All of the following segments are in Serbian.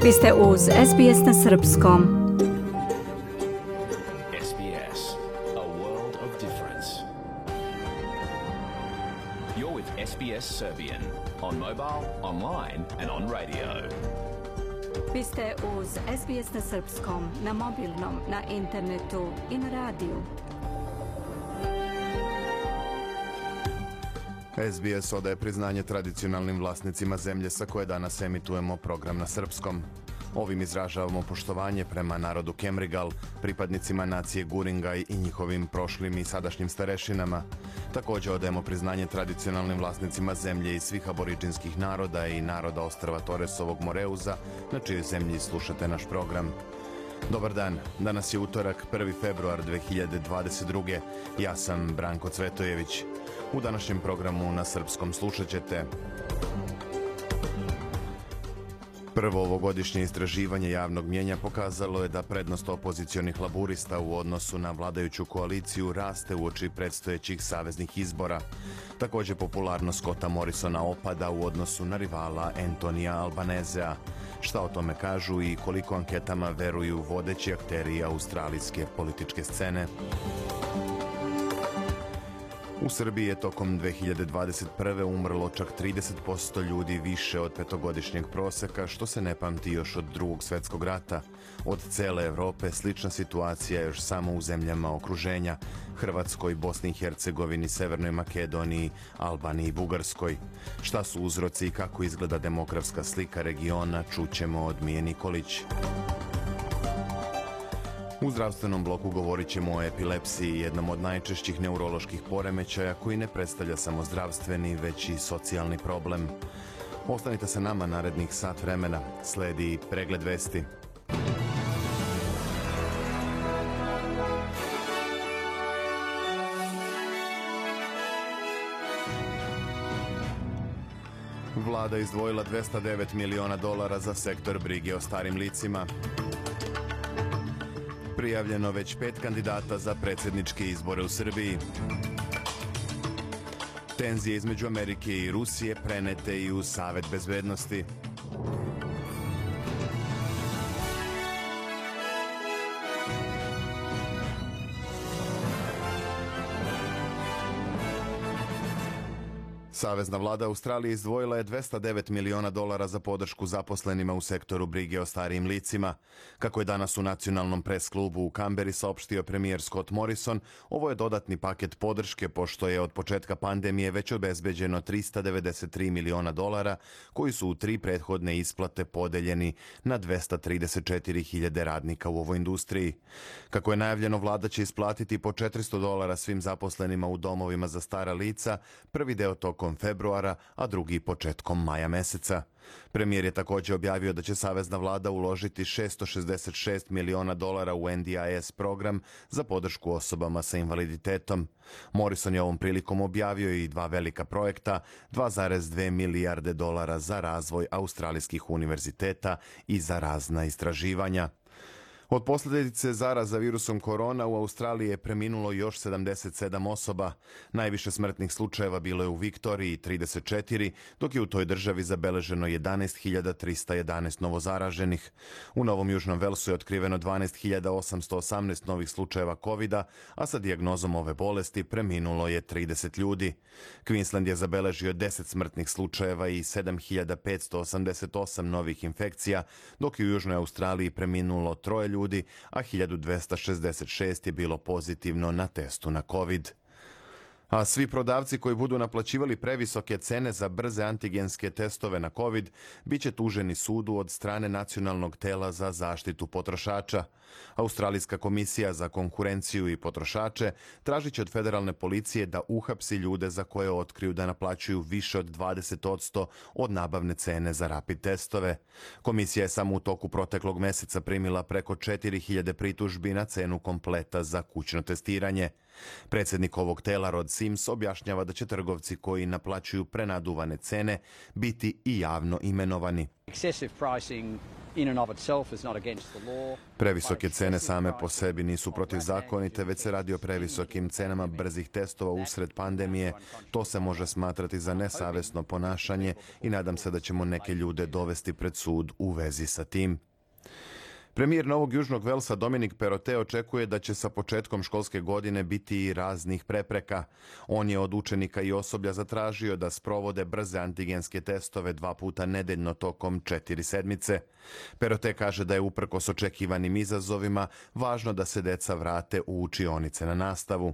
Vi ste uz SBS na srpskom. SBS, a world of difference. You're with SBS Serbian on mobile, online and on radio. Vi ste uz SBS na srpskom, na mobilnom, na internetu i na radiju. SBS odaje priznanje tradicionalnim vlasnicima zemlje sa koje danas emitujemo program na srpskom. Ovim izražavamo poštovanje prema narodu Kemrigal, pripadnicima nacije Guringaj i njihovim prošlim i sadašnjim starešinama. Također odajemo priznanje tradicionalnim vlasnicima zemlje i svih aboriđinskih naroda i naroda ostrva Toresovog Moreuza, na čijoj zemlji slušate naš program. Dobar dan, danas je utorak, 1. februar 2022. Ja sam Branko Cvetojević. U današnjem programu na srpskom slušat ćete: prvo ovogodišnje istraživanje javnog mnijenja pokazalo je da prednost opozicionih laburista u odnosu na vladajuću koaliciju raste uoči predstojećih saveznih izbora. Također popularnost Scotta Morrisona opada u odnosu na rivala Antonija Albanezea. Šta o tome kažu i koliko anketama veruju vodeći akteri australijske političke scene? U Srbiji je tokom 2021. umrlo čak 30% ljudi više od petogodišnjeg proseka, što se ne pamti još od Drugog svjetskog rata. Od cele Evrope slična situacija je još samo u zemljama okruženja: Hrvatskoj, Bosni i Hercegovini, Severnoj Makedoniji, Albaniji i Bugarskoj. Šta su uzroci i kako izgleda demografska slika regiona, čućemo od Mije Nikolić. U zdravstvenom bloku govorit ćemo o epilepsiji, jednom od najčešćih neuroloških poremećaja koji ne predstavlja samo zdravstveni, već i socijalni problem. Ostanite sa nama narednih sat vremena. Sledi pregled vesti. Vlada izdvojila $209 miliona za sektor brige o starim licima. Prijavljeno već 5 kandidata za predsjedničke izbore u Srbiji. Tenzije između Amerike i Rusije prenete i u Savet bezbednosti. Savezna vlada Australije izdvojila je $209 miliona za podršku zaposlenima u sektoru brige o starijim licima. Kako je danas u nacionalnom pres klubu u Kamberi saopštio premijer Scott Morrison, ovo je dodatni paket podrške pošto je od početka pandemije već obezbeđeno $393 miliona koji su u 3 prethodne isplate podeljeni na 234.000 radnika u ovoj industriji. Kako je najavljeno, vlada će isplatiti po $400 svim zaposlenima u domovima za stara lica, prvi deo tokom februara, a drugi početkom maja meseca. Premijer je također objavio da će savezna vlada uložiti $666 miliona u NDIS program za podršku osobama sa invaliditetom. Morrison je ovom prilikom objavio i 2 velika projekta, $2,2 milijarde za razvoj australijskih univerziteta i za razna istraživanja. Od posljedice zaraza virusom korona u Australiji je preminulo još 77 osoba. Najviše smrtnih slučajeva bilo je u Viktoriji, 34, dok je u toj državi zabeleženo 11.311 novozaraženih. U Novom Južnom Velsu je otkriveno 12.818 novih slučajeva COVID-a, a sa dijagnozom ove bolesti preminulo je 30 ljudi. Queensland je zabeležio 10 smrtnih slučajeva i 7.588 novih infekcija, dok je u Južnoj Australiji preminulo 3 ljudi, a 1266 je bilo pozitivno na testu na COVID. A svi prodavci koji budu naplaćivali previsoke cene za brze antigenske testove na COVID bit će tuženi sudu od strane Nacionalnog tela za zaštitu potrošača. Australijska komisija za konkurenciju i potrošače tražit će od federalne policije da uhapsi ljude za koje otkriju da naplaćuju više od 20% od nabavne cene za rapid testove. Komisija je samo u toku proteklog meseca primila preko 4.000 pritužbi na cenu kompleta za kućno testiranje. Predsjednik ovog tela Rod Sims objašnjava da će trgovci koji naplaćuju prenaduvane cene biti i javno imenovani. Excessive pricing Previsoke cene same po sebi nisu protivzakonite, već se radi o previsokim cenama brzih testova usred pandemije. To se može smatrati za nesavesno ponašanje i nadam se da ćemo neke ljude dovesti pred sud u vezi sa tim. Premijer Novog Južnog Velsa Dominic Perrottet očekuje da će sa početkom školske godine biti i raznih prepreka. On je od učenika i osoblja zatražio da sprovode brze antigenske testove 2 puta nedeljno tokom 4 sedmice. Perrottet kaže da je uprkos očekivanim izazovima važno da se deca vrate u učionice na nastavu.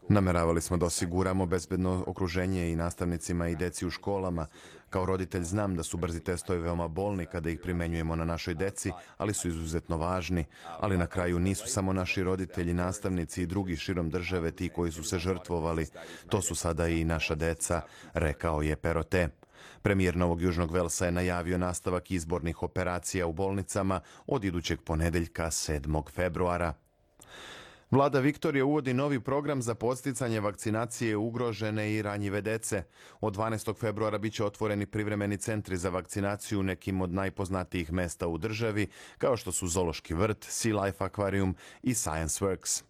Nameravali smo da osiguramo bezbedno okruženje i nastavnicima i deci u školama. Kao roditelj znam da su brzi testovi veoma bolni kada ih primenjujemo na našoj deci, ali su izuzetno važni. Ali na kraju nisu samo naši roditelji, nastavnici i drugi širom države ti koji su se žrtvovali. To su sada i naša deca, rekao je Perrottet. Premijer Novog Južnog Velsa je najavio nastavak izbornih operacija u bolnicama od idućeg ponedeljka 7. februara. Vlada Viktorije uvodi novi program za podsticanje vakcinacije ugrožene i ranjive dece. Od 12. februara biće otvoreni privremeni centri za vakcinaciju u nekim od najpoznatijih mesta u državi, kao što su Zoološki vrt, Sea Life akvarijum i Science Works.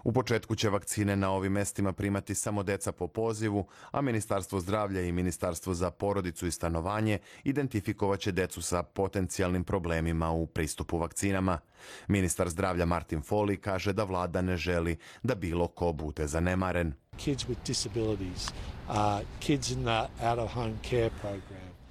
U početku će vakcine na ovim mestima primati samo deca po pozivu, a Ministarstvo zdravlja i Ministarstvo za porodicu i stanovanje identifikovat će decu sa potencijalnim problemima u pristupu vakcinama. Ministar zdravlja Martin Foley kaže da vlada ne želi da bilo ko bude zanemaren.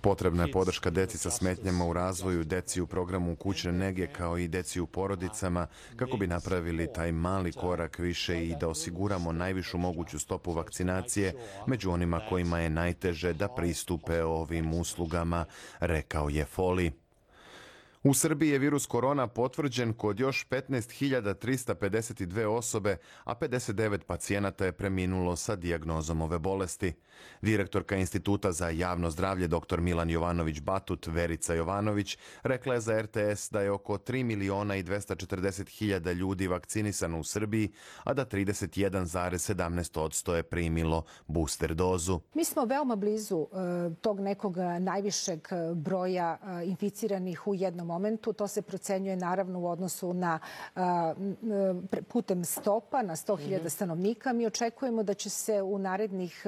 Potrebna je podrška deci sa smetnjama u razvoju, deci u programu kućne nege kao i deci u porodicama kako bi napravili taj mali korak više i da osiguramo najvišu moguću stopu vakcinacije među onima kojima je najteže da pristupe ovim uslugama, rekao je Foley. U Srbiji je virus korona potvrđen kod još 15.352 osobe, a 59 pacijenata je preminulo sa dijagnozom ove bolesti. Direktorka Instituta za javno zdravlje dr. Milan Jovanović Batut, Verica Jovanović, rekla je za RTS da je oko 3.240.000 ljudi vakcinisano u Srbiji, a da 31,17% je primilo booster dozu. Mi smo veoma blizu tog nekog najvišeg broja inficiranih u jednom momentu. To se procenjuje naravno u odnosu na putem stopa na 100.000 stanovnika. Mi očekujemo da će se u narednih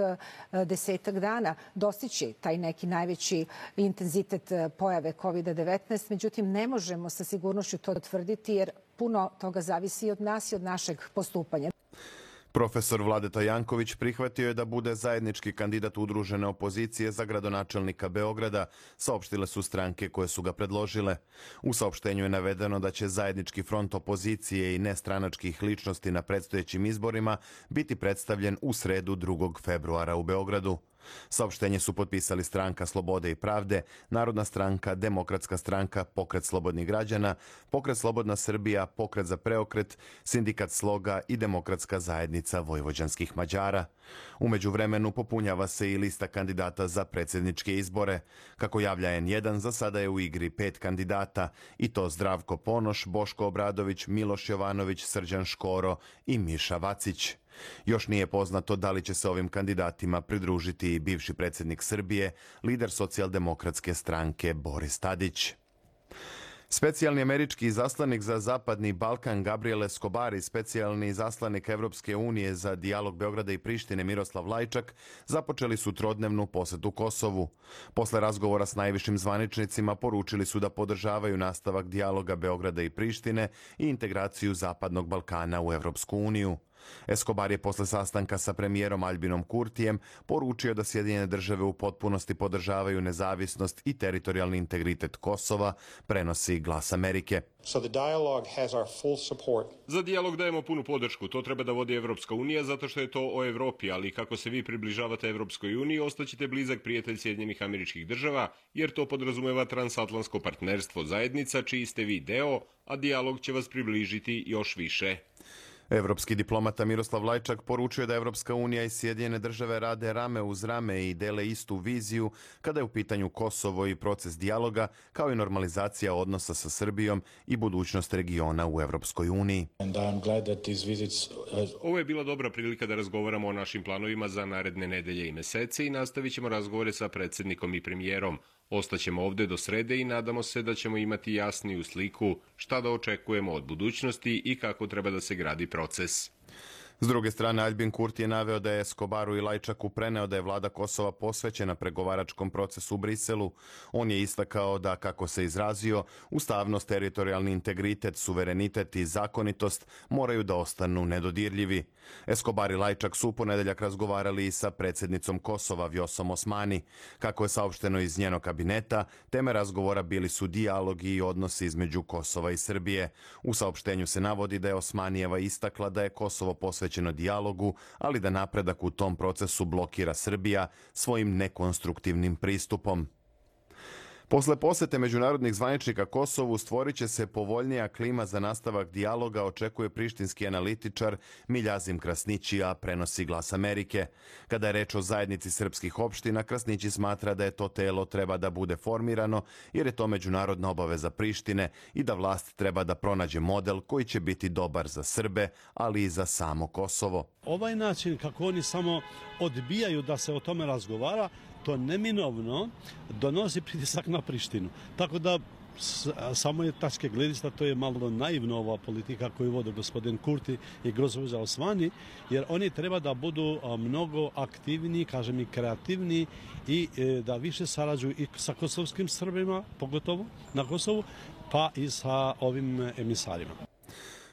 10 dana dostići taj neki najveći intenzitet pojave COVID-19. Međutim, ne možemo sa sigurnošću to tvrditi jer puno toga zavisi od nas i od našeg postupanja. Profesor Vladeta Janković prihvatio je da bude zajednički kandidat udružene opozicije za gradonačelnika Beograda, saopštile su stranke koje su ga predložile. U saopštenju je navedeno da će zajednički front opozicije i nestranačkih ličnosti na predstojećim izborima biti predstavljen u sredu 2. februara u Beogradu. Saopštenje su potpisali Stranka slobode i pravde, Narodna stranka, Demokratska stranka, Pokret slobodnih građana, Pokret slobodna Srbija, Pokret za preokret, Sindikat Sloga i Demokratska zajednica vojvođanskih Mađara. U međuvremenu popunjava se i lista kandidata za predsjedničke izbore. Kako javlja N1, za sada je u igri 5 kandidata, i to Zdravko Ponoš, Boško Obradović, Miloš Jovanović, Srđan Škoro i Miša Vacić. Još nije poznato da li će se ovim kandidatima pridružiti i bivši predsjednik Srbije, lider socijaldemokratske stranke Boris Tadić. Specijalni američki izaslanik za Zapadni Balkan Gabriel Escobar i specijalni izaslanik Evropske unije za dijalog Beograda i Prištine Miroslav Lajčak započeli su trodnevnu posetu Kosovu. Posle razgovora s najvišim zvaničnicima poručili su da podržavaju nastavak dijaloga Beograda i Prištine i integraciju Zapadnog Balkana u Evropsku uniju. Escobar je posle sastanka sa premijerom Albinom Kurtijem poručio da Sjedinjene države u potpunosti podržavaju nezavisnost i teritorijalni integritet Kosova, prenosi Glas Amerike. Za dijalog dajemo punu podršku. To treba da vodi Evropska unija zato što je to o Evropi, ali kako se vi približavate Evropskoj uniji, ostaćete blizak prijatelj Sjedinjenih Američkih Država, jer to podrazumeva transatlantsko partnerstvo zajednica čiji ste vi deo, a dijalog će vas približiti još više. Evropski diplomata Miroslav Lajčak poručuje da Evropska unija i Sjedinjene države rade rame uz rame i dele istu viziju kada je u pitanju Kosovo i proces dijaloga, kao i normalizacija odnosa sa Srbijom i budućnost regiona u Evropskoj uniji. Ovo je bila dobra prilika da razgovaramo o našim planovima za naredne nedelje i mesece i nastavit ćemo razgovore sa predsjednikom i premijerom. Ostaćemo ovdje do srede i nadamo se da ćemo imati jasniju sliku šta da očekujemo od budućnosti i kako treba da se gradi proces. S druge strane, Aljbin Kurti je naveo da je Escobaru i Lajčaku preneo da je vlada Kosova posvećena pregovaračkom procesu u Briselu. On je istakao da, kako se izrazio, ustavnost, teritorijalni integritet, suverenitet i zakonitost moraju da ostanu nedodirljivi. Escobar i Lajčak su u ponedeljak razgovarali i sa predsjednicom Kosova Vjosom Osmani. Kako je saopšteno iz njenog kabineta, teme razgovora bili su dijalog i odnosi između Kosova i Srbije. U saopštenju se navodi da je Osmanijeva istakla da je Kosovo posvećeno dijalogu, ali da napredak u tom procesu blokira Srbija svojim nekonstruktivnim pristupom. Posle posete međunarodnih zvaničnika Kosovu stvorit će se povoljnija klima za nastavak dijaloga, očekuje prištinski analitičar Miljazim Krasnićija, prenosi Glas Amerike. Kada je reč o zajednici srpskih opština, Krasnići smatra da je to telo treba da bude formirano jer je to međunarodna obaveza Prištine i da vlast treba da pronađe model koji će biti dobar za Srbe, ali i za samo Kosovo. Ovaj način kako oni samo odbijaju da se o tome razgovara, to neminovno donosi pritisak na Prištinu. Tako da samo je tačke gledišta, to je malo naivno ova politika koju vode gospodin Kurti i gospođa Osmani, jer oni treba da budu mnogo aktivniji, kažem i kreativniji i da više sarađuju i sa kosovskim Srbima, pogotovo na Kosovu, pa i sa ovim emisarima.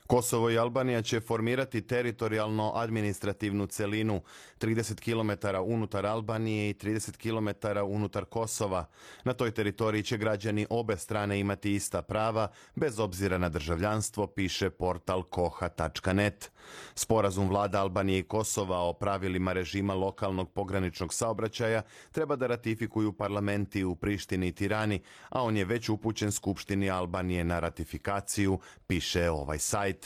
Kosovo i Albanija će formirati teritorijalno-administrativnu celinu 30 km unutar Albanije i 30 km unutar Kosova. Na toj teritoriji će građani obe strane imati ista prava, bez obzira na državljanstvo, piše portal koha.net. Sporazum vlada Albanije i Kosova o pravilima režima lokalnog pograničnog saobraćaja treba da ratifikuju parlamenti u Prištini i Tirani, a on je već upućen Skupštini Albanije na ratifikaciju, piše ovaj sajt.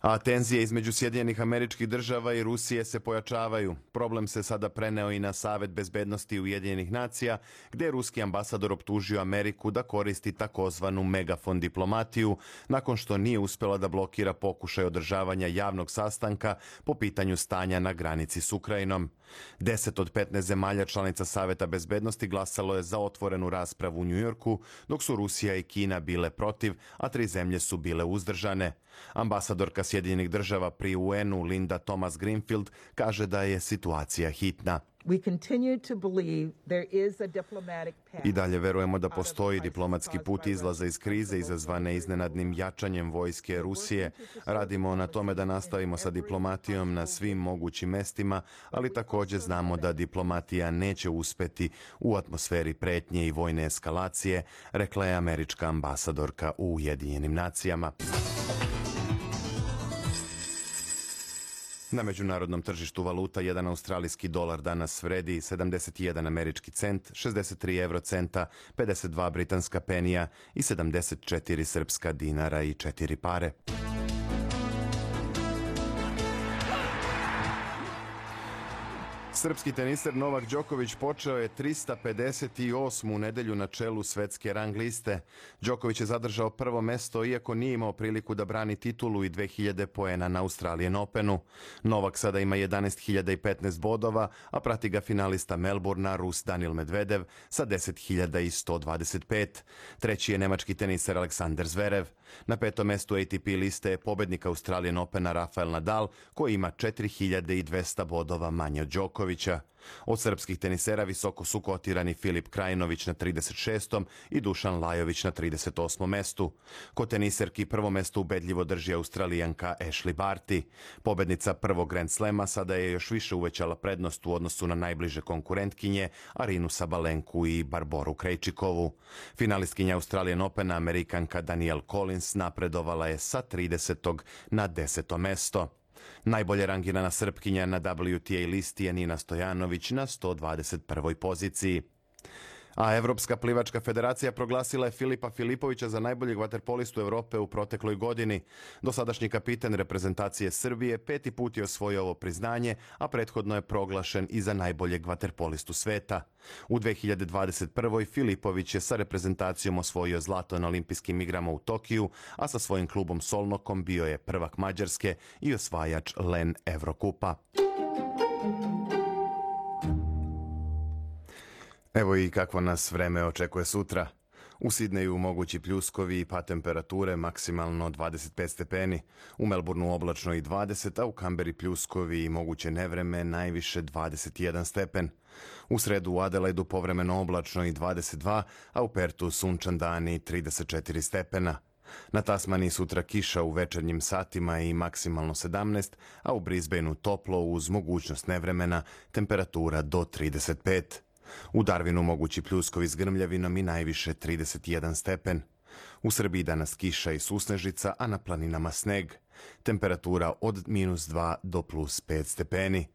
A tenzije između Sjedinjenih Američkih Država i Rusije se pojačavaju. Problem se sada preneo i na Savet bezbednosti Ujedinjenih nacija, gdje je ruski ambasador optužio Ameriku da koristi takozvanu megafon diplomatiju, nakon što nije uspjela da blokira pokušaj održavanja javnog sastanka po pitanju stanja na granici s Ukrajinom. 10 od 15 zemalja članica Saveta bezbednosti glasalo je za otvorenu raspravu u Njujorku, dok su Rusija i Kina bile protiv, a 3 zemlje su bile uzdržane. Ambasadorka Sjedinjenih Država pri UN-u Linda Thomas Greenfield kaže da je situacija hitna. I dalje verujemo da postoji diplomatski put izlaza iz krize izazvane iznenadnim jačanjem vojske Rusije. Radimo na tome da nastavimo sa diplomatijom na svim mogućim mestima, ali također znamo da diplomatija neće uspeti u atmosferi pretnje i vojne eskalacije, rekla je američka ambasadorka u Ujedinjenim nacijama. Na međunarodnom tržištu valuta jedan australijski dolar danas vredi 71 američki cent, 63 eurocenta, 52 britanska penija i 74 srpska dinara i 4 pare. Srpski teniser Novak Đoković počeo je 358. nedelju na čelu svetske rang liste. Đoković je zadržao prvo mesto iako nije imao priliku da brani titulu i 2000 poena na Australian Openu. Novak sada ima 11.015 bodova, a prati ga finalista Melbourna Rus Daniil Medvedev sa 10.125. Treći je nemački teniser Aleksander Zverev. Na 5. mestu ATP liste je pobednik Australian Opena Rafael Nadal, koji ima 4.200 bodova manje od Đokovića. Od srpskih tenisera visoko su kotirani Filip Krajinović na 36. i Dušan Lajović na 38. mestu. Kod teniserki prvo mesto ubedljivo drži Australijanka Ashley Barty. Pobednica prvog Grand Slema sada je još više uvećala prednost u odnosu na najbliže konkurentkinje Arinu Sabalenku i Barboru Krejčikovu. Finalistkinja Australian Opena Amerikanka Danielle Collins napredovala je sa 30. na 10. mesto. Najbolje rangirana Srpkinja na WTA listi je Nina Stojanović na 121. poziciji. A Evropska plivačka federacija proglasila je Filipa Filipovića za najboljeg vaterpolistu Europe u protekloj godini. Dosadašnji kapitan reprezentacije Srbije 5. put je osvojio ovo priznanje, a prethodno je proglašen i za najboljeg vaterpolistu sveta. U 2021. Filipović je sa reprezentacijom osvojio zlato na olimpijskim igrama u Tokiju, a sa svojim klubom Solnokom bio je prvak Mađarske i osvajač LEN Evrokupa. Evo i kakvo nas vreme očekuje sutra. U Sidneju mogući pljuskovi i pad temperature, maksimalno 25 stepeni. U Melbourneu oblačno i 20, a u Kamberi pljuskovi i moguće nevreme, najviše 21 stepen. U sredu u Adelaidu povremeno oblačno i 22, a u Pertu sunčan dan i 34 stepena. Na Tasmaniji sutra kiša u večernjim satima i maksimalno 17, a u Brisbaneu toplo uz mogućnost nevremena, temperatura do 35. U Darwinu mogući pljuskovi s grmljavinom i najviše 31 stepen. U Srbiji danas kiša i susnežica, a na planinama sneg. Temperatura od -2 do +5 stepeni.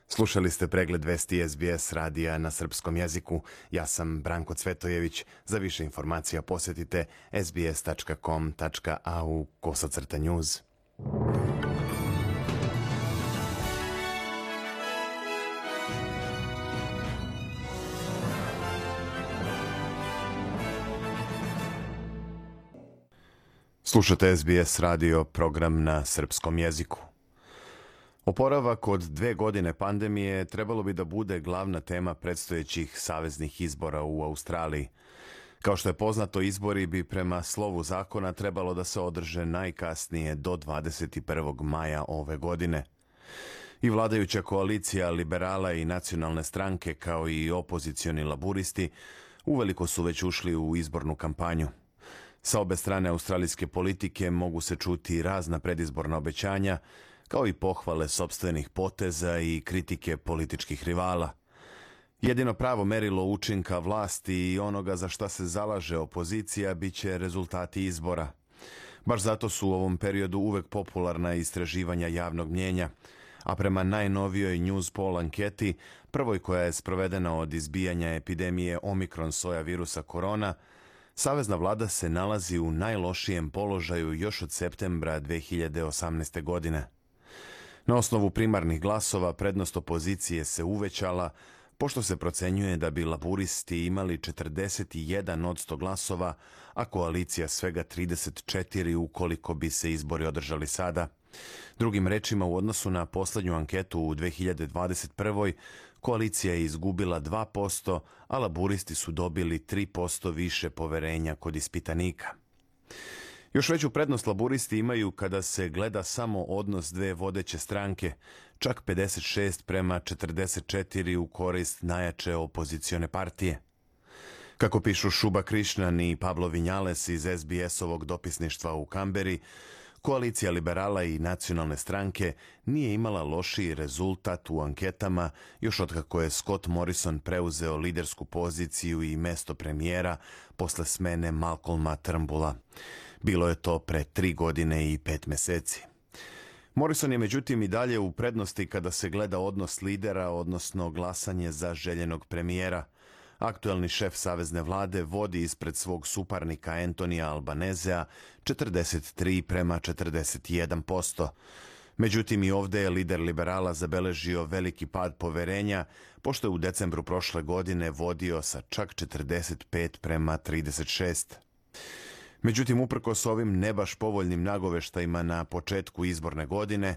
Slušali ste pregled vesti SBS radija na srpskom jeziku. Ja sam Branko Cvetojević. Za više informacija posjetite sbs.com.au/news. Slušate SBS radio, program na srpskom jeziku. Oporavak od 2 godine pandemije trebalo bi da bude glavna tema predstojećih saveznih izbora u Australiji. Kao što je poznato, izbori bi prema slovu zakona trebalo da se održe najkasnije do 21. maja ove godine. I vladajuća koalicija liberala i nacionalne stranke, kao i opozicioni laburisti, uveliko su već ušli u izbornu kampanju. Sa obe strane australijske politike mogu se čuti razna predizborna obećanja, kao i pohvale sopstvenih poteza i kritike političkih rivala. Jedino pravo merilo učinka vlasti i onoga za šta se zalaže opozicija biće rezultati izbora. Baš zato su u ovom periodu uvek popularna istraživanja javnog mnjenja, a prema najnovijoj Newspoll anketi, prvoj koja je sprovedena od izbijanja epidemije Omikron soja virusa korona, savezna vlada se nalazi u najlošijem položaju još od septembra 2018. godine. Na osnovu primarnih glasova prednost opozicije se uvećala, pošto se procenjuje da bi laburisti imali 41% glasova, a koalicija svega 34 ukoliko bi se izbori održali sada. Drugim rečima, u odnosu na poslednju anketu u 2021. koalicija je izgubila 2%, a laburisti su dobili 3% više poverenja kod ispitanika. Još veću prednost laburisti imaju kada se gleda samo odnos dve vodeće stranke, čak 56:44 u korist najjače opozicione partije. Kako pišu Šuba Krišnan i Pablo Vinjales iz SBS-ovog dopisništva u Kamberi, koalicija liberala i nacionalne stranke nije imala lošiji rezultat u anketama još otkako je Scott Morrison preuzeo lidersku poziciju i mesto premijera posle smene Malcolma Turnbulla. Bilo je to pre 3 godine i 5 meseci. Morrison je međutim i dalje u prednosti kada se gleda odnos lidera, odnosno glasanje za željenog premijera. Aktuelni šef savezne vlade vodi ispred svog suparnika Antonija Albanezea 43:41%. Međutim, i ovde je lider liberala zabeležio veliki pad poverenja, pošto je u decembru prošle godine vodio sa čak 45:36. Međutim, uprkos ovim ne baš povoljnim nagoveštajima na početku izborne godine,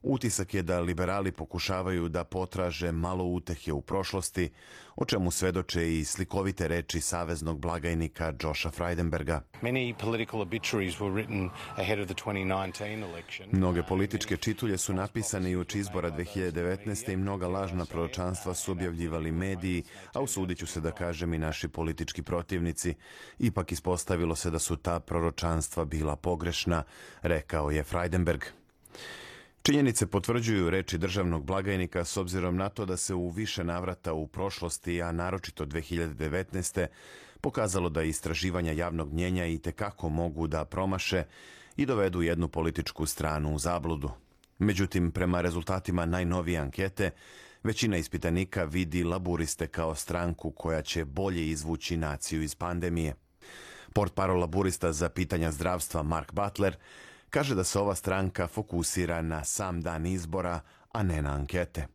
utisak je da liberali pokušavaju da potraže malo utehe u prošlosti, o čemu svedoče i slikovite reči saveznog blagajnika Josha Frydenberga. Mnoge političke čitulje su napisane i uoči izbora 2019. i mnoga lažna proročanstva su objavljivali mediji, a usudit ću se da kažem i naši politički protivnici. Ipak ispostavilo se da su ta proročanstva bila pogrešna, rekao je Frydenberg. Činjenice potvrđuju reči državnog blagajnika s obzirom na to da se u više navrata u prošlosti, a naročito 2019. pokazalo da istraživanja javnog mnjenja i tekako mogu da promaše i dovedu jednu političku stranu u zabludu. Međutim, prema rezultatima najnovije ankete, Većina ispitanika vidi laburiste kao stranku koja će bolje izvući naciju iz pandemije. Portparol laburista za pitanja zdravstva Mark Butler kaže da se ova stranka fokusira na sam dan izbora, a ne na ankete.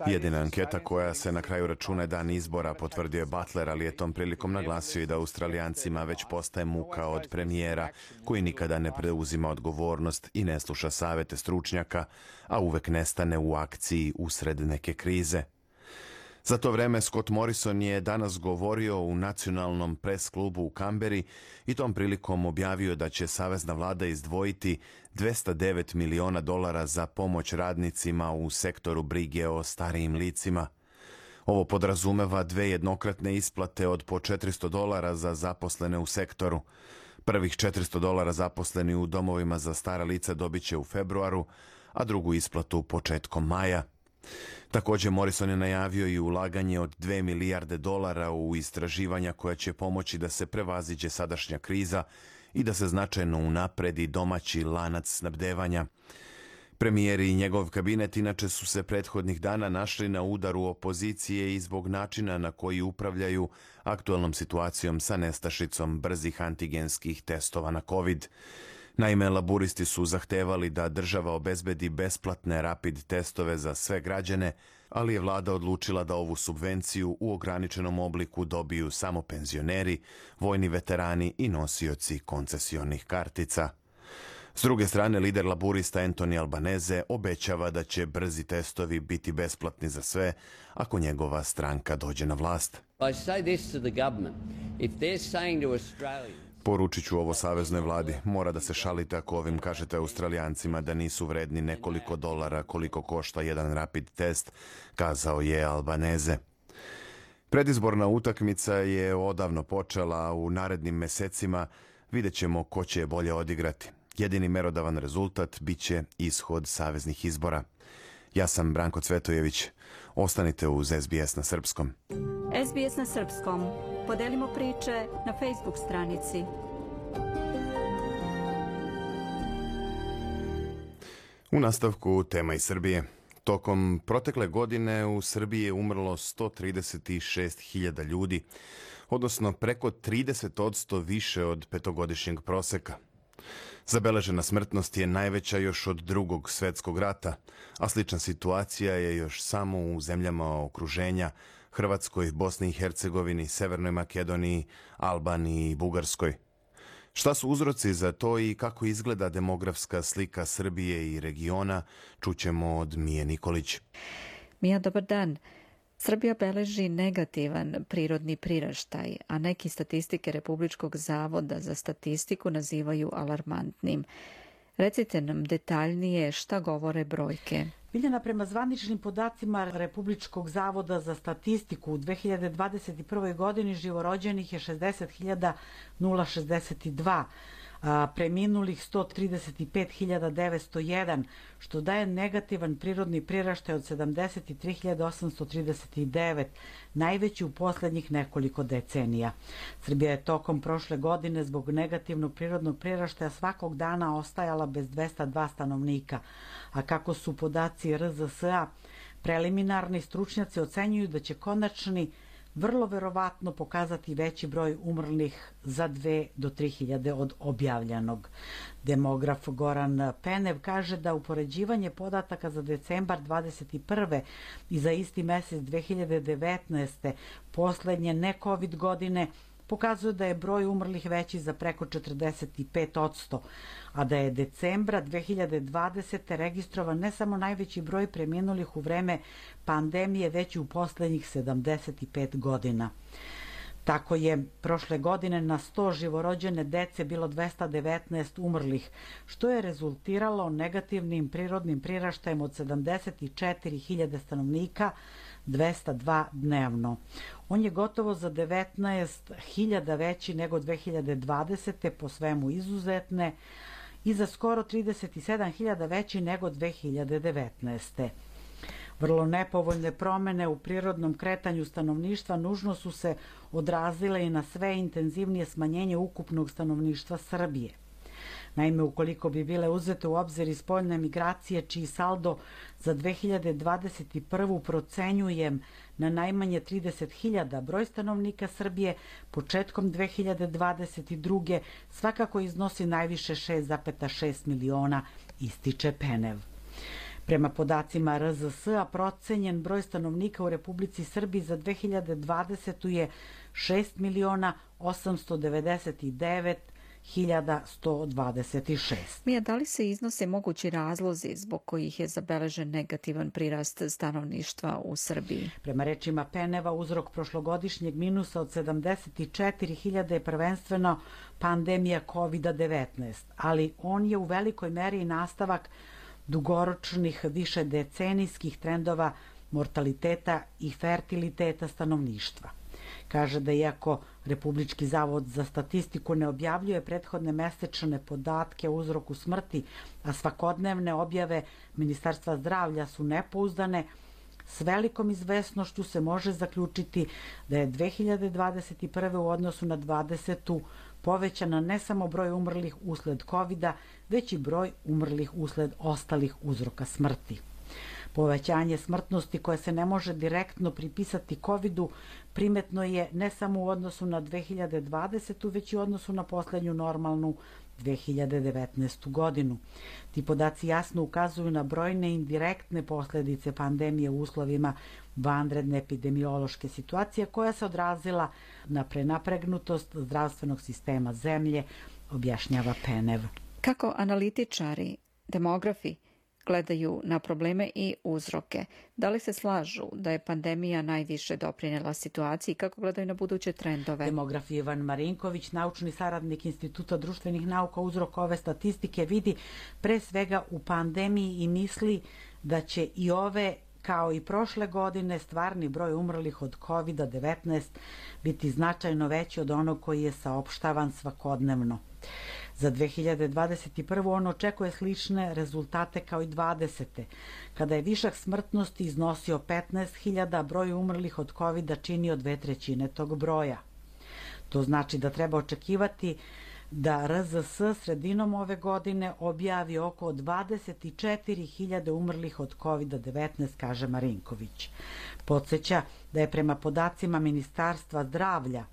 Jedina anketa koja se na kraju računa je dan izbora, potvrdio je Butler, ali je tom prilikom naglasio i da Australijancima već postaje muka od premijera koji nikada ne preuzima odgovornost i ne sluša savete stručnjaka, a uvek nestane u akciji usred neke krize. Za to vreme Scott Morrison je danas govorio u nacionalnom pres klubu u Kamberi i tom prilikom objavio da će savezna vlada izdvojiti $209 miliona za pomoć radnicima u sektoru brige o starijim licima. Ovo podrazumeva 2 jednokratne isplate od po $400 za zaposlene u sektoru. Prvih $400 zaposleni u domovima za stara lica dobit će u februaru, a drugu isplatu početkom maja. Također Morrison je najavio i ulaganje od $2 milijarde u istraživanja koja će pomoći da se prevaziđe sadašnja kriza i da se značajno unapredi domaći lanac snabdevanja. Premijer i njegov kabinet inače su se prethodnih dana našli na udaru opozicije i zbog načina na koji upravljaju aktualnom situacijom sa nestašicom brzih antigenskih testova na COVID. Naime, laburisti su zahtevali da država obezbedi besplatne rapid testove za sve građane, ali je vlada odlučila da ovu subvenciju u ograničenom obliku dobiju samo penzioneri, vojni veterani i nosioci koncesionih kartica. S druge strane, lider laburista Anthony Albanese obećava da će brzi testovi biti besplatni za sve ako njegova stranka dođe na vlast. Poručit ću ovo saveznoj vladi. Mora da se šalite ako ovim kažete Australijancima da nisu vredni nekoliko dolara koliko košta jedan rapid test, kazao je Albanese. Predizborna utakmica je odavno počela, a u narednim mesecima vidjet ćemo ko će je bolje odigrati. Jedini merodavan rezultat bit će ishod saveznih izbora. Ja sam Branko Cvetojević. Ostanite uz SBS na srpskom. SBS na srpskom. Podelimo priče na Facebook stranici. U nastavku tema iz Srbije. Tokom protekle godine u Srbiji je umrlo 136.000 ljudi, odnosno preko 30% više od petogodišnjeg proseka. Zabeležena smrtnost je najveća još od Drugog svjetskog rata, a slična situacija je još samo u zemljama okruženja, Hrvatskoj, Bosni i Hercegovini, Severnoj Makedoniji, Albaniji i Bugarskoj. Šta su uzroci za to i kako izgleda demografska slika Srbije i regiona, čućemo od Mije Nikolić. Mija, dobar dan. Srbija beleži negativan prirodni priraštaj, a neki statistike Republičkog zavoda za statistiku nazivaju alarmantnim. Recite nam detaljnije šta govore brojke. Biljana, prema zvaničnim podacima Republičkog zavoda za statistiku u 2021. godini živorođenih je 60.062, preminulih 135.901, što daje negativan prirodni priraštaj od 73.839, najveći u posljednjih nekoliko decenija. Srbija je tokom prošle godine zbog negativnog prirodnog priraštaja svakog dana ostajala bez 202 stanovnika, a kako su podaci RZS-a preliminarni, stručnjaci ocenjuju da će konačni vrlo verovatno pokazati veći broj umrlih za 2 do 3.000 od objavljenog. Demograf Goran Penev kaže da upoređivanje podataka za decembar 2021. i za isti mesec 2019. poslednje ne-COVID godine pokazuje da je broj umrlih veći za preko 45%, a da je decembra 2020. registrovan ne samo najveći broj preminulih u vreme pandemije, već i u poslednjih 75 godina. Tako je prošle godine na 100 živorođene dece bilo 219 umrlih, što je rezultiralo negativnim prirodnim priraštajem od 74.000 stanovnika, 202 dnevno. On je gotovo za 19.000 veći nego 2020. po svemu izuzetne i za skoro 37.000 veći nego 2019. Vrlo nepovoljne promene u prirodnom kretanju stanovništva nužno su se odrazile i na sve intenzivnije smanjenje ukupnog stanovništva Srbije. Naime, ukoliko bi bile uzete u obzir i spoljne migracije, čiji saldo za 2021. procenjujem na najmanje 30.000, broj stanovnika Srbije početkom 2022. svakako iznosi najviše 6,6 miliona, ističe Penev. Prema podacima RZS-a, procenjen broj stanovnika u Republici Srbiji za 2020. je 6.899.126. Mija, da li se iznose mogući razlozi zbog kojih je zabeležen negativan prirast stanovništva u Srbiji? Prema rečima Peneva, uzrok prošlogodišnjeg minusa od 74.000 je prvenstveno pandemija COVID-19, ali on je u velikoj meri nastavak dugoročnih višedecenijskih trendova mortaliteta i fertiliteta stanovništva. Kaže da iako Republički zavod za statistiku ne objavljuje prethodne mesečne podatke o uzroku smrti, a svakodnevne objave Ministarstva zdravlja su nepouzdane, s velikom izvesnošću se može zaključiti da je 2021. u odnosu na 2020. povećana ne samo broj umrlih usled COVID-a, već i broj umrlih usled ostalih uzroka smrti. Povećanje smrtnosti koje se ne može direktno pripisati COVID-u primetno je ne samo u odnosu na 2020. već i u odnosu na poslednju normalnu 2019. godinu. Ti podaci jasno ukazuju na brojne indirektne posledice pandemije u uslovima vanredne epidemiološke situacije koja se odrazila na prenapregnutost zdravstvenog sistema zemlje, objašnjava Penev. Kako analitičari, demografi gledaju na probleme i uzroke? Da li se slažu da je pandemija najviše doprinela situaciji? Kako gledaju na buduće trendove? Demograf Ivan Marinković, naučni saradnik Instituta društvenih nauka, uzrok ove statistike vidi pre svega u pandemiji i misli da će i ove kao i prošle godine stvarni broj umrlih od COVID-19 biti značajno veći od onog koji je saopštavan svakodnevno. Za 2021. on očekuje slične rezultate kao i 20. Kada je višak smrtnosti iznosio 15.000, broj umrlih od COVID-a činio 2/3 tog broja. To znači da treba očekivati da RZS sredinom ove godine objavi oko 24.000 umrlih od COVID-19, kaže Marinković. Podsjeća da je prema podacima Ministarstva zdravlja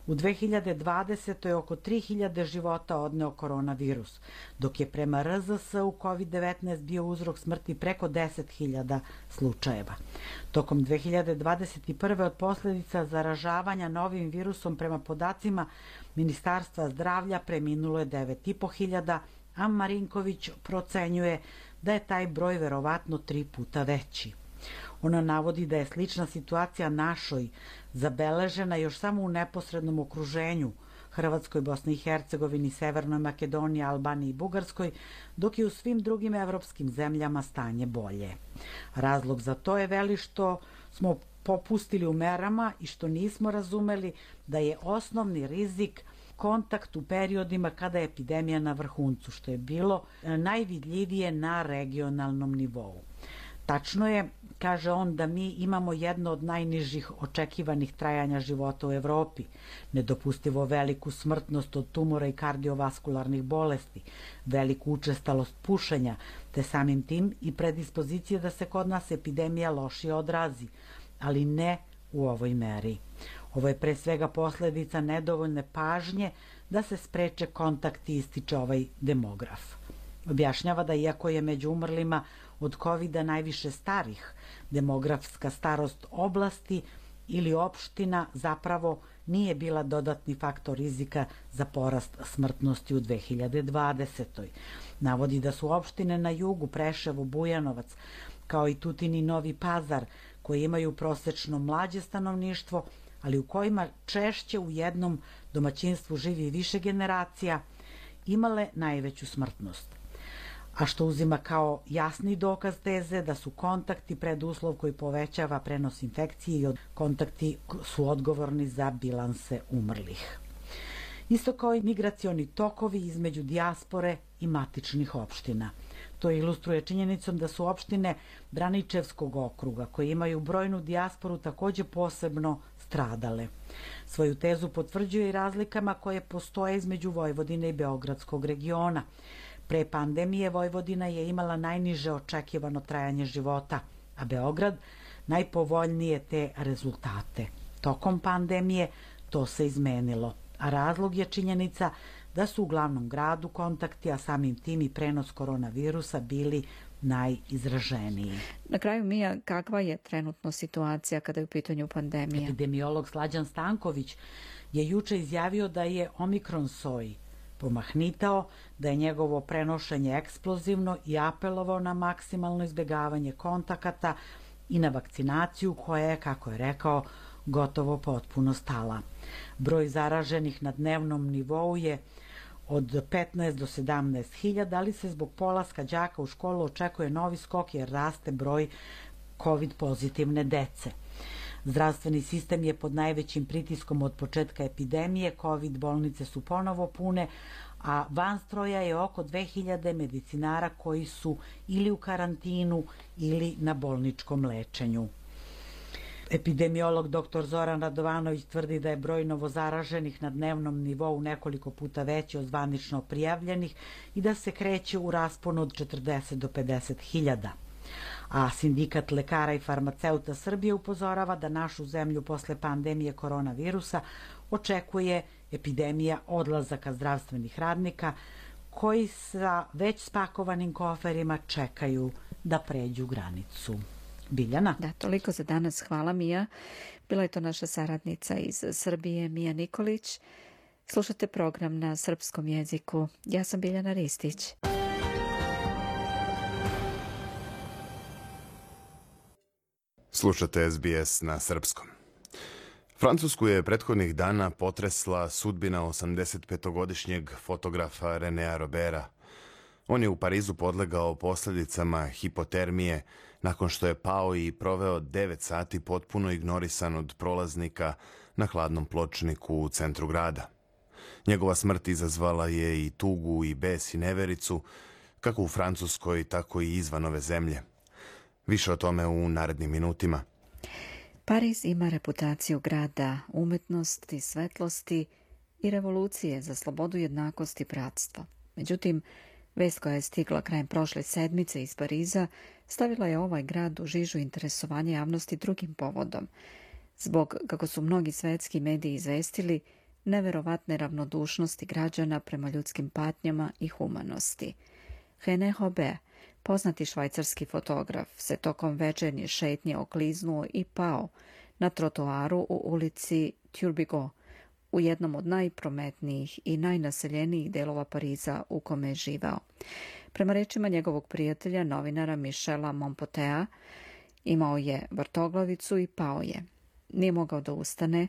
u 2020. oko 3.000 života odneo koronavirus, dok je prema RZS-u COVID-19 bio uzrok smrti preko 10.000 slučajeva. Tokom 2021. od posljedica zaražavanja novim virusom prema podacima Ministarstva zdravlja preminulo je 9.500, a Marinković procenjuje da je taj broj verovatno 3 puta veći. Ona navodi da je slična situacija našoj zabeležena još samo u neposrednom okruženju Hrvatskoj, Bosni i Hercegovini, Severnoj Makedoniji, Albaniji i Bugarskoj, dok je u svim drugim evropskim zemljama stanje bolje. Razlog za to je veli što smo popustili u merama i što nismo razumeli da je osnovni rizik kontakt u periodima kada je epidemija na vrhuncu, što je bilo najvidljivije na regionalnom nivou. Tačno je, kaže on, da mi imamo jedno od najnižih očekivanih trajanja života u Evropi, nedopustivo veliku smrtnost od tumora i kardiovaskularnih bolesti, veliku učestalost pušenja, te samim tim i predispozicije da se kod nas epidemija lošije odrazi, ali ne u ovoj meri. Ovo je pre svega posledica nedovoljne pažnje da se spreče kontakti, ističe ovaj demograf. Objašnjava da iako je među umrlima od COVID-a najviše starih, demografska starost oblasti ili opština zapravo nije bila dodatni faktor rizika za porast smrtnosti u 2020. Navodi da su opštine na jugu, Preševo, Bujanovac, kao i Tutin i Novi Pazar, koji imaju prosečno mlađe stanovništvo, ali u kojima češće u jednom domaćinstvu živi više generacija, imale najveću smrtnost. A što uzima kao jasni dokaz teze da su kontakti preduslov koji povećava prenos infekcije i kontakti su odgovorni za bilanse umrlih. Isto kao i migracioni tokovi između dijaspore i matičnih opština. To ilustruje činjenicom da su opštine Braničevskog okruga, koje imaju brojnu dijasporu, takođe posebno stradale. Svoju tezu potvrđuje i razlikama koje postoje između Vojvodine i Beogradskog regiona. Pre pandemije Vojvodina je imala najniže očekivano trajanje života, a Beograd najpovoljnije te rezultate. Tokom pandemije to se izmenilo, a razlog je činjenica da su u glavnom gradu kontakti, a samim tim i prenos koronavirusa bili najizraženiji. Na kraju, Mija, kakva je trenutno situacija kada je u pitanju pandemija? Epidemiolog Slađan Stanković je juče izjavio da je omikron soj pomahnitao, da je njegovo prenošenje eksplozivno i apelovao na maksimalno izbjegavanje kontakata i na vakcinaciju koja je, kako je rekao, gotovo potpuno stala. Broj zaraženih na dnevnom nivou je od 15 do 17 hiljada, ali se zbog polaska đaka u školu očekuje novi skok jer raste broj COVID pozitivne dece. Zdravstveni sistem je pod najvećim pritiskom od početka epidemije, COVID bolnice su ponovo pune, a van stroja je oko 2000 medicinara koji su ili u karantinu ili na bolničkom lečenju. Epidemiolog dr. Zoran Radovanović tvrdi da je broj novozaraženih na dnevnom nivou nekoliko puta veći od zvanično prijavljenih i da se kreće u rasponu od 40 do 50 hiljada. A Sindikat lekara i farmaceuta Srbije upozorava da našu zemlju posle pandemije koronavirusa očekuje epidemija odlazaka zdravstvenih radnika koji sa već spakovanim koferima čekaju da pređu granicu. Biljana? Da, toliko za danas. Hvala, Mija. Bila je to naša saradnica iz Srbije, Mija Nikolić. Slušate program na srpskom jeziku. Ja sam Biljana Ristić. Slušate SBS na srpskom. Francusku je prethodnih dana potresla sudbina 85-godišnjeg fotografa Renea Robera. On je u Parizu podlegao posljedicama hipotermije nakon što je pao i proveo 9 sati potpuno ignorisan od prolaznika na hladnom pločniku u centru grada. Njegova smrt izazvala je i tugu i bes i nevericu, kako u Francuskoj, tako i izvan ove zemlje. Više o tome u narednim minutima. Pariz ima reputaciju grada umetnosti, svetlosti i revolucije za slobodu, jednakost i bratstvo. Međutim, vest koja je stigla krajem prošle sedmice iz Pariza stavila je ovaj grad u žižu interesovanja javnosti drugim povodom. Zbog, kako su mnogi svetski mediji izvestili, neverovatne ravnodušnosti građana prema ljudskim patnjama i humanosti. René Hobert, poznati švajcarski fotograf, se tokom večernje šetnje okliznuo i pao na trotoaru u ulici Turbigo, u jednom od najprometnijih i najnaseljenijih delova Pariza u kome je živao. Prema rečima njegovog prijatelja, novinara Michela Mompotea, imao je vrtoglavicu i pao je. Nije mogao da ustane,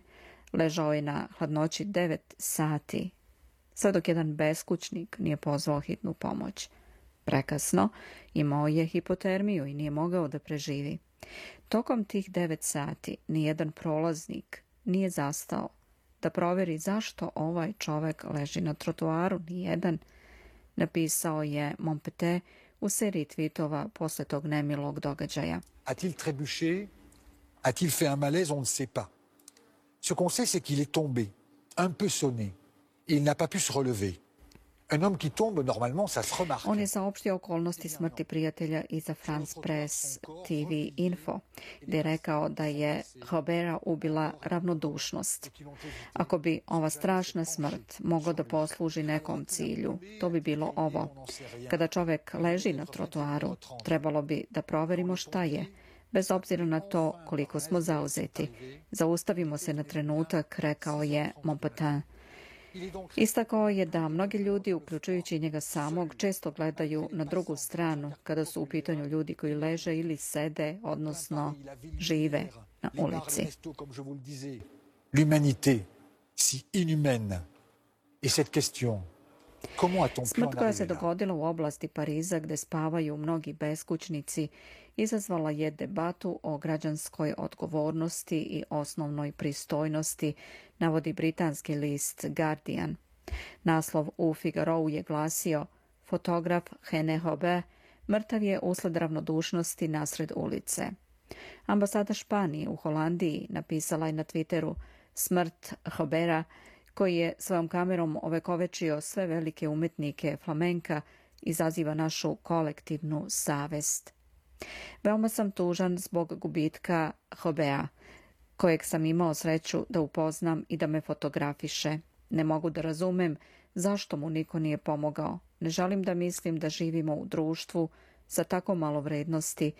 ležao je na hladnoći 9 sati, sve dok jedan beskućnik nije pozvao hitnu pomoć. Prekasno, imao je hipotermiju i nije mogao da preživi. Tokom tih 9 sati nijedan prolaznik nije zastao da proveri zašto ovaj čovek leži na trotoaru, nijedan, napisao je Mompete u seriji tweetova posle tog nemilog događaja. A-t-il trébuché? A-t-il fait un malaise? On ne sait pas. Ce qu'on sait, c'est qu'il est tombé, un peu sonné, et il n'a pas pu se relever. Un homme qui tombe, normalement, ça se remarque. On je saopštio okolnosti smrti prijatelja i za France Press TV Info, gde je rekao da je Robera ubila ravnodušnost. Ako bi ova strašna smrt mogla da posluži nekom cilju, to bi bilo ovo. Kada čovek leži na trotoaru, trebalo bi da proverimo šta je, bez obzira na to koliko smo zauzeti. Zaustavimo se na trenutak, rekao je Montpetin. Istakao je da mnogi ljudi, uključujući njega samog, često gledaju na drugu stranu kada su u pitanju ljudi koji leže ili sede, odnosno žive na ulici. L'humanité, si inhumaine, et cette question, smrt koja se dogodila u oblasti Pariza gde spavaju mnogi beskućnici izazvala je debatu o građanskoj odgovornosti i osnovnoj pristojnosti, navodi britanski list Guardian. Naslov u Figarou je glasio: fotograf René Hobert mrtav je usled ravnodušnosti nasred ulice. Ambasada Španije u Holandiji napisala je na Twitteru smrt Jobera, koji je svojom kamerom ovekovečio sve velike umetnike flamenka, izaziva našu kolektivnu savest. Veoma sam tužan zbog gubitka Jobera, kojeg sam imao sreću da upoznam i da me fotografiše. Ne mogu da razumem zašto mu niko nije pomogao. Ne želim da mislim da živimo u društvu sa tako malo vrednosti,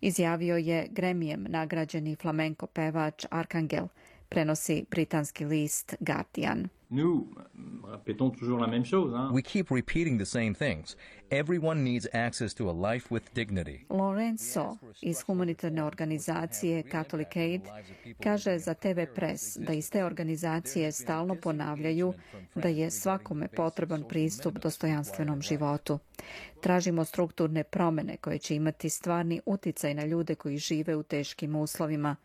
izjavio je Gremijem nagrađeni flamenko pevač Arcangel, prenosi britanski list Guardian. We keep repeating the same things. Everyone needs access to a life with dignity. Lorenzo iz humanitarne organizacije Catholic Aid kaže za TV Press da iz te organizacije stalno ponavljaju da je svakome potreban pristup dostojanstvenom životu. Tražimo strukturne promjene koje će imati stvarni uticaj na ljude koji žive u teškim uslovima.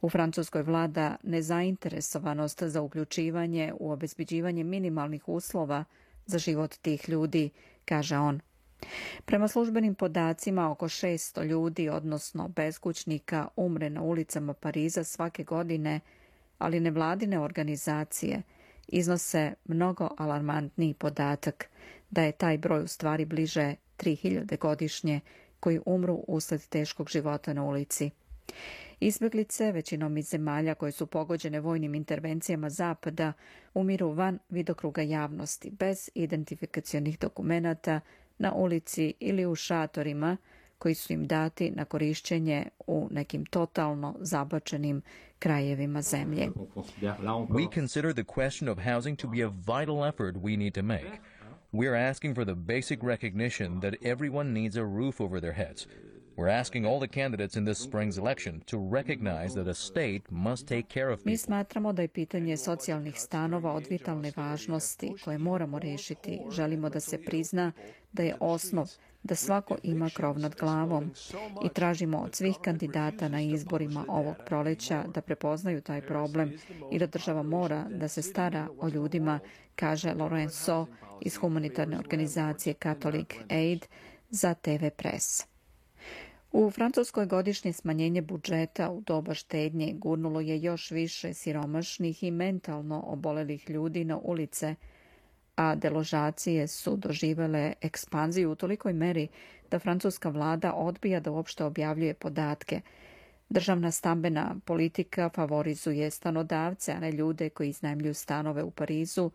U Francuskoj vlada nezainteresovanost za uključivanje u obezbeđivanje minimalnih uslova za život tih ljudi, kaže on. Prema službenim podacima, oko 600 ljudi, odnosno beskućnika, umre na ulicama Pariza svake godine, ali nevladine organizacije iznose mnogo alarmantniji podatak da je taj broj u stvari bliže 3000 godišnje koji umru usled teškog života na ulici. Izbjeglice, većinom iz zemalja koje su pogođene vojnim intervencijama Zapada, umiru van vidokruga javnosti, bez identifikacionih dokumenata, na ulici ili u šatorima koji su im dati na korišćenje u nekim totalno zabačenim krajevima zemlje. We consider the question of housing to be a vital effort we need to make. We are asking for the basic recognition that everyone needs a roof over their heads. We're asking all the candidates in this spring's election to recognize that a state must take care of people. Mi smatramo da je pitanje socijalnih stanova od vitalne važnosti koje moramo rešiti. Želimo da se prizna da je osnov da svako ima krov nad glavom i tražimo od svih kandidata na izborima ovog proleća da prepoznaju taj problem i da država mora da se stara o ljudima, kaže Lorenzo iz humanitarne organizacije Catholic Aid za TV Press. U Francuskoj godišnje smanjenje budžeta u doba štednje gurnulo je još više siromašnih i mentalno obolelih ljudi na ulice, a deložacije su doživele ekspanziju u tolikoj meri da francuska vlada odbija da uopšte objavljuje podatke. Državna stambena politika favorizuje stanodavce, a ne ljude koji iznajmljuju stanove u Parizu,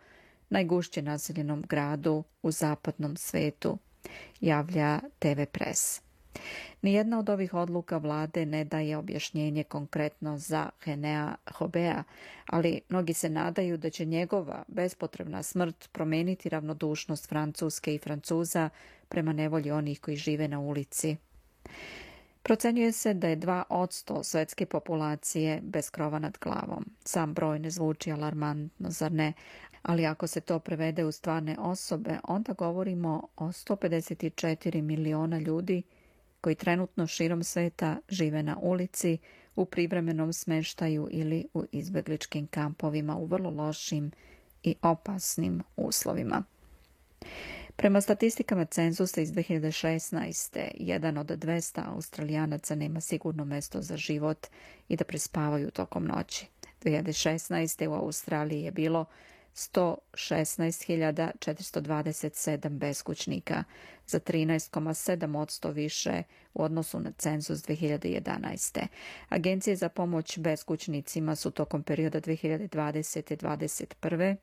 najgušće naseljenom gradu u zapadnom svetu, javlja TV Press. Nijedna od ovih odluka vlade ne daje objašnjenje konkretno za Henea Jobera, ali mnogi se nadaju da će njegova bespotrebna smrt promeniti ravnodušnost Francuske i Francuza prema nevolji onih koji žive na ulici. Procenjuje se da je 2% svetske populacije bez krova nad glavom. Sam broj ne zvuči alarmantno, zar ne? Ali ako se to prevede u stvarne osobe, onda govorimo o 154 miliona ljudi koji trenutno širom sveta žive na ulici, u privremenom smeštaju ili u izbegličkim kampovima u vrlo lošim i opasnim uslovima. Prema statistikama cenzusa iz 2016. jedan od 200 Australijanaca nema sigurno mesto za život i da prespavaju tokom noći. 2016. u Australiji je bilo 116.427 beskućnika, za 13,7% više u odnosu na cenzus 2011. Agencije za pomoć beskućnicima su tokom perioda 2020-2021.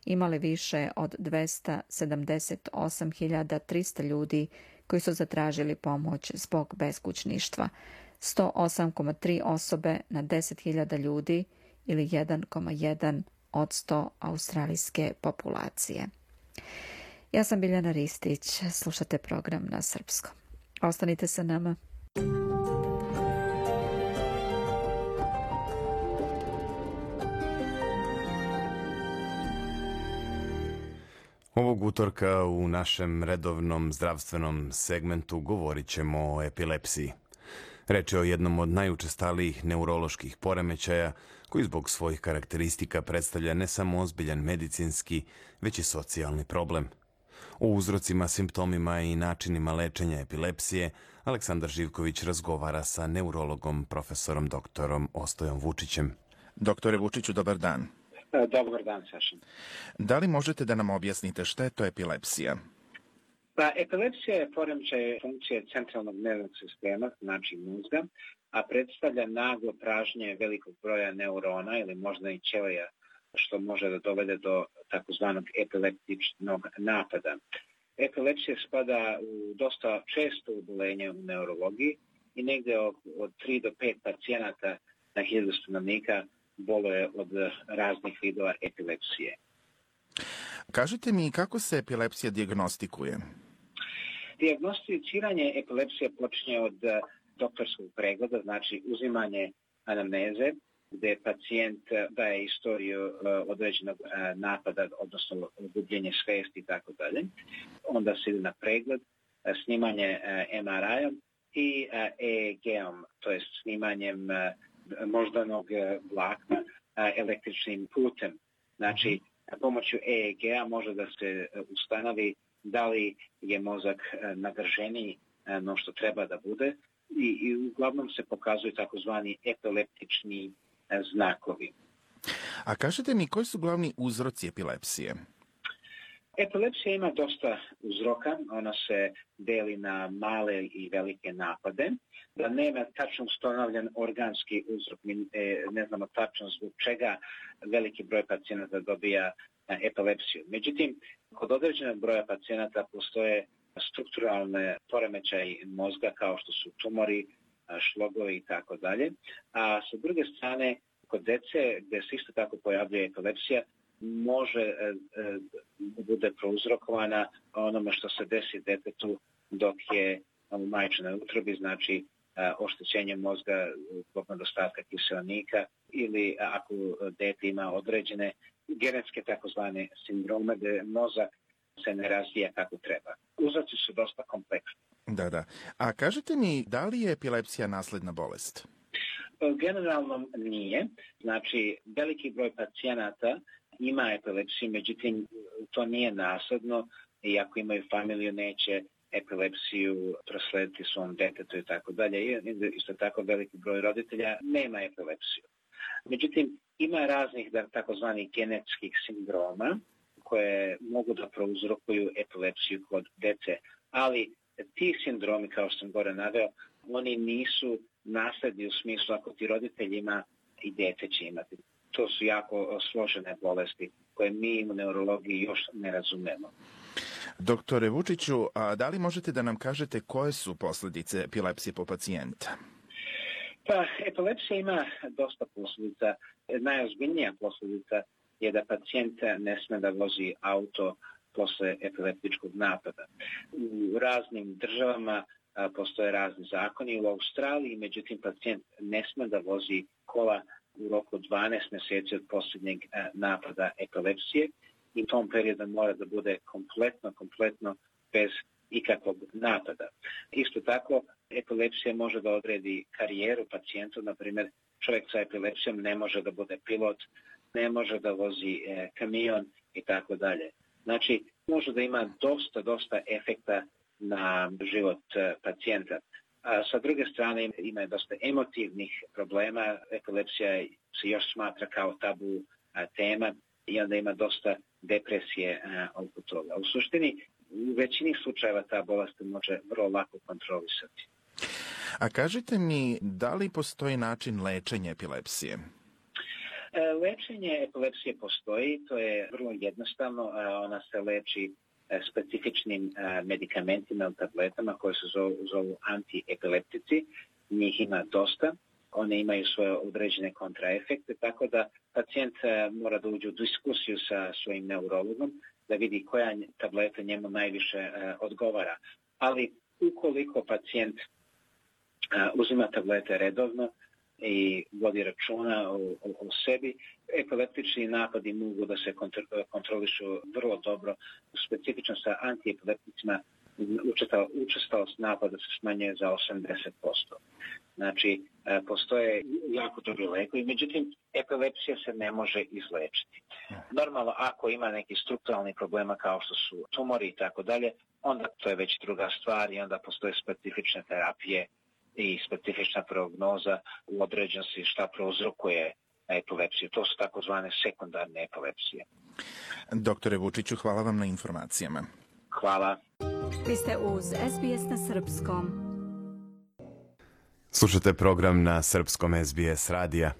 imale više od 278.300 ljudi koji su zatražili pomoć zbog beskućništva, 108,3 osobe na 10.000 ljudi ili 1,1% australijske populacije. Ja sam Biljana Ristić, slušate program na srpskom. Ostanite sa nama. Ovog utorka u našem redovnom zdravstvenom segmentu govorit ćemo o epilepsiji. Reč je o jednom od najučestalijih neuroloških poremećaja koji zbog svojih karakteristika predstavlja ne samo ozbiljan medicinski, već i socijalni problem. O uzrocima, simptomima i načinima lečenja epilepsije Aleksandar Živković razgovara sa neurologom profesorom doktorom Ostojom Vučićem. Doktore Vučiću, dobar dan. Dobar dan, Saša. Da li možete da nam objasnite šta je to epilepsija? Pa, epilepsija je poremećaj funkcije centralnog nervnog sistema, znači mozga, a predstavlja naglo pražnje velikog broja neurona ili možda i ćelija, što može da dovede do takozvanog epileptičnog napada. Epilepsija spada u dosta često oboljenje u neurologiji i negde od 3 do 5 pacijenata na 1000 stanovnika boluje od raznih vidova epilepsije. Kažite mi kako se epilepsija dijagnostikuje? Dijagnosticiranje epilepsije počinje od doktorskog pregleda, znači uzimanje anamneze, gde pacijent daje istoriju određenog napada, odnosno gubljenje svesti i tako dalje. Onda se ide na pregled, snimanje MRI-om i EEG-om, to je snimanjem moždanog vlakna električnim putem. Znači, pomoću EEG-a može da se ustanovi da li je mozak nadraženiji no što treba da bude i uglavnom se pokazuju takozvani epileptični znakovi. A kažete mi, koji su glavni uzroci epilepsije? Epilepsija ima dosta uzroka, ona se deli na male i velike napade. Da nema tačno ustanovljen organski uzrok, mi ne znamo tačno zbog čega veliki broj pacijenata dobija epilepsiju. Međutim, kod određenog broja pacijenata postoje strukturalne poremećaji mozga kao što su tumori, šlogovi i tako dalje. A sa druge strane, kod dece gdje se isto tako pojavljuje epilepsija, može da bude prouzrokovana onome što se desi detetu dok je u majčinoj utrobi, znači oštećenje mozga zbog nedostatka kiseonika ili ako dete ima određene genetske takozvane sindrome gdje mozak se ne razvija kako treba. Uzroci su dosta kompleksni. Da. A kažete mi, da li je epilepsija nasledna bolest? Generalno nije. Znači, veliki broj pacijenata ima epilepsiju, međutim, to nije nasledno i ako imaju familiju neće epilepsiju proslediti svom detetu i tako dalje. Isto tako veliki broj roditelja nema epilepsiju. Međutim, ima raznih takozvanih genetskih sindroma koje mogu da prouzrokuju epilepsiju kod dece, ali ti sindromi, kao što sam gore naveo, oni nisu nasledni u smislu ako ti roditelj ima i dete će imati. To su jako složene bolesti koje mi u neurologiji još ne razumemo. Doktore Vučiću, a da li možete da nam kažete koje su posljedice epilepsije po pacijenta? Pa, epilepsija ima dosta posljedica. Najozbiljnija posljedica je da pacijent ne sme da vozi auto posle epileptičkog napada. U raznim državama postoje razni zakoni. U Australiji, međutim, pacijent ne sme da vozi kola u roku 12 mjeseci od posljednjeg napada epilepsije i u tom periodu mora da bude kompletno bez ikakvog napada. Isto tako, epilepsija može da odredi karijeru pacijentu, na primjer, čovjek sa epilepsijom ne može da bude pilot, ne može da vozi kamion i tako dalje. Znači, može da ima dosta efekta na život pacijenta. A sa druge strane ima dosta emotivnih problema. Epilepsija se još smatra kao tabu tema i onda ima dosta depresije oko toga. U suštini, u većini slučajeva ta bolest može vrlo lako kontrolisati. A kažite mi, da li postoji način lečenja epilepsije? Lečenje epilepsije postoji, to je vrlo jednostavno, ona se leči specifičnim medikamentima ili tabletama koje se zovu antiepileptici, njih ima dosta, one imaju svoje određene kontraefekte, tako da pacijent mora da uđe u diskusiju sa svojim neurologom, da vidi koja tableta njemu najviše odgovara. Ali ukoliko pacijent uzima tablete redovno i vodi računa o sebi, epileptični napadi mogu da se kontrolišu vrlo dobro. Specifično sa antiepilepticima učestalost napada se smanjuje za 80%. Znači, postoje jako dobri lekovi, međutim, epilepsija se ne može izlečiti. Normalno, ako ima neki strukturalni problema kao što su tumori i tako dalje, onda to je već druga stvar i onda postoje specifične terapije i specifična prognoza u određenosti šta prouzrokuje epilepsiju. To su takozvane sekundarne epilepsije. Doktore Vučiću, hvala vam na informacijama. Hvala. Vi ste uz SBS na srpskom. Slušate program na srpskom SBS radija.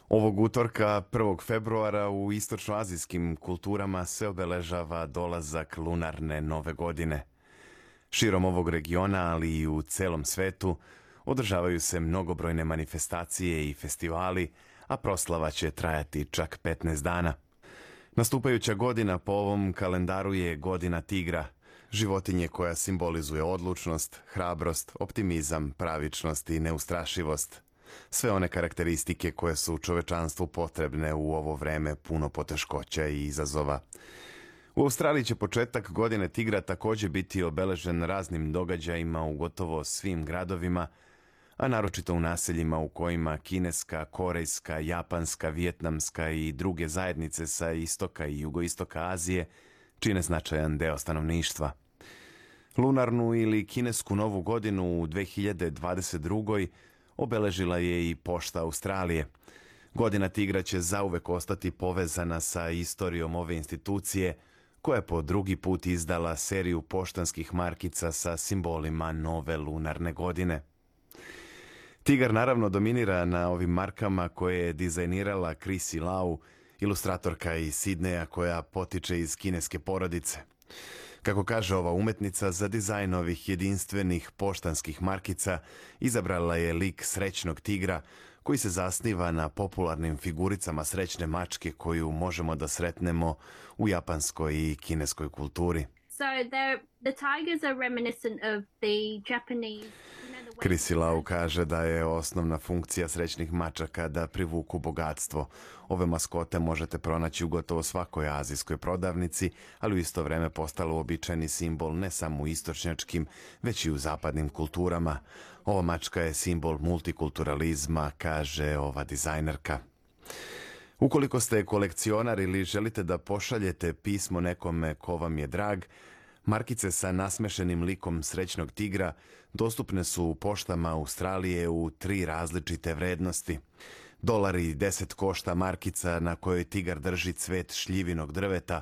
Ovog utorka, 1. februara, u istočnoazijskim kulturama se obeležava dolazak lunarne nove godine. Širom ovog regiona, ali i u celom svetu, održavaju se mnogobrojne manifestacije i festivali, a proslava će trajati čak 15 dana. Nastupajuća godina po ovom kalendaru je godina tigra, životinje koja simbolizuje odlučnost, hrabrost, optimizam, pravičnost i neustrašivost. Sve one karakteristike koje su čovečanstvu potrebne u ovo vreme puno poteškoća i izazova. U Australiji će početak godine tigra također biti obeležen raznim događajima u gotovo svim gradovima, a naročito u naseljima u kojima kineska, korejska, japanska, vijetnamska i druge zajednice sa istoka i jugoistoka Azije čine značajan deo stanovništva. Lunarnu ili kinesku novu godinu u 2022. obeležila je i pošta Australije. Godina tigra će zauvek ostati povezana sa istorijom ove institucije, koja je po drugi put izdala seriju poštanskih markica sa simbolima nove lunarne godine. Tigar naravno dominira na ovim markama koje je dizajnirala Chrissy Lau, ilustratorka iz Sidneja koja potiče iz kineske porodice. Kako kaže ova umetnica, za dizajn ovih jedinstvenih poštanskih markica izabrala je lik srećnog tigra koji se zasniva na popularnim figuricama srećne mačke koju možemo da sretnemo u japanskoj i kineskoj kulturi. So the tigers are reminiscent of the Japanese. Chrissy Lau kaže da je osnovna funkcija srećnih mačaka da privuku bogatstvo. Ove maskote možete pronaći u gotovo svakoj azijskoj prodavnici, ali u isto vreme postalo uobičajeni simbol ne samo u istočnjačkim, već i u zapadnim kulturama. Ova mačka je simbol multikulturalizma, kaže ova dizajnerka. Ukoliko ste kolekcionar ili želite da pošaljete pismo nekome ko vam je drag, markice sa nasmešenim likom srećnog tigra dostupne su u poštama Australije u 3 različite vrednosti. $10 košta markica na kojoj tigar drži cvet šljivinog drveta,